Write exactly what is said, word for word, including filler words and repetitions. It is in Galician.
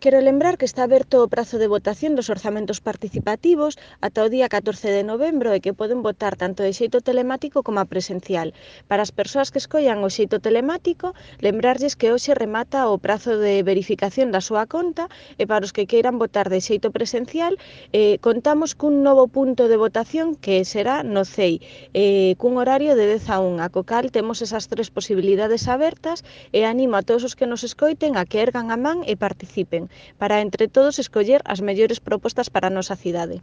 Quero lembrar que está aberto o prazo de votación dos orzamentos participativos ata o día catorce de novembro e que poden votar tanto de xeito telemático como presencial. Para as persoas que escollan o xeito telemático, lembrarlles que hoxe remata o prazo de verificación da súa conta e para os que queiran votar de xeito presencial, eh, contamos cun novo punto de votación que será no C E I, eh, cun horario de dez a unha, co cal temos esas tres posibilidades abertas e animo a todos os que nos escoiten a que ergan a man e participen, para entre todos escoller as mellores propostas para a nosa cidade.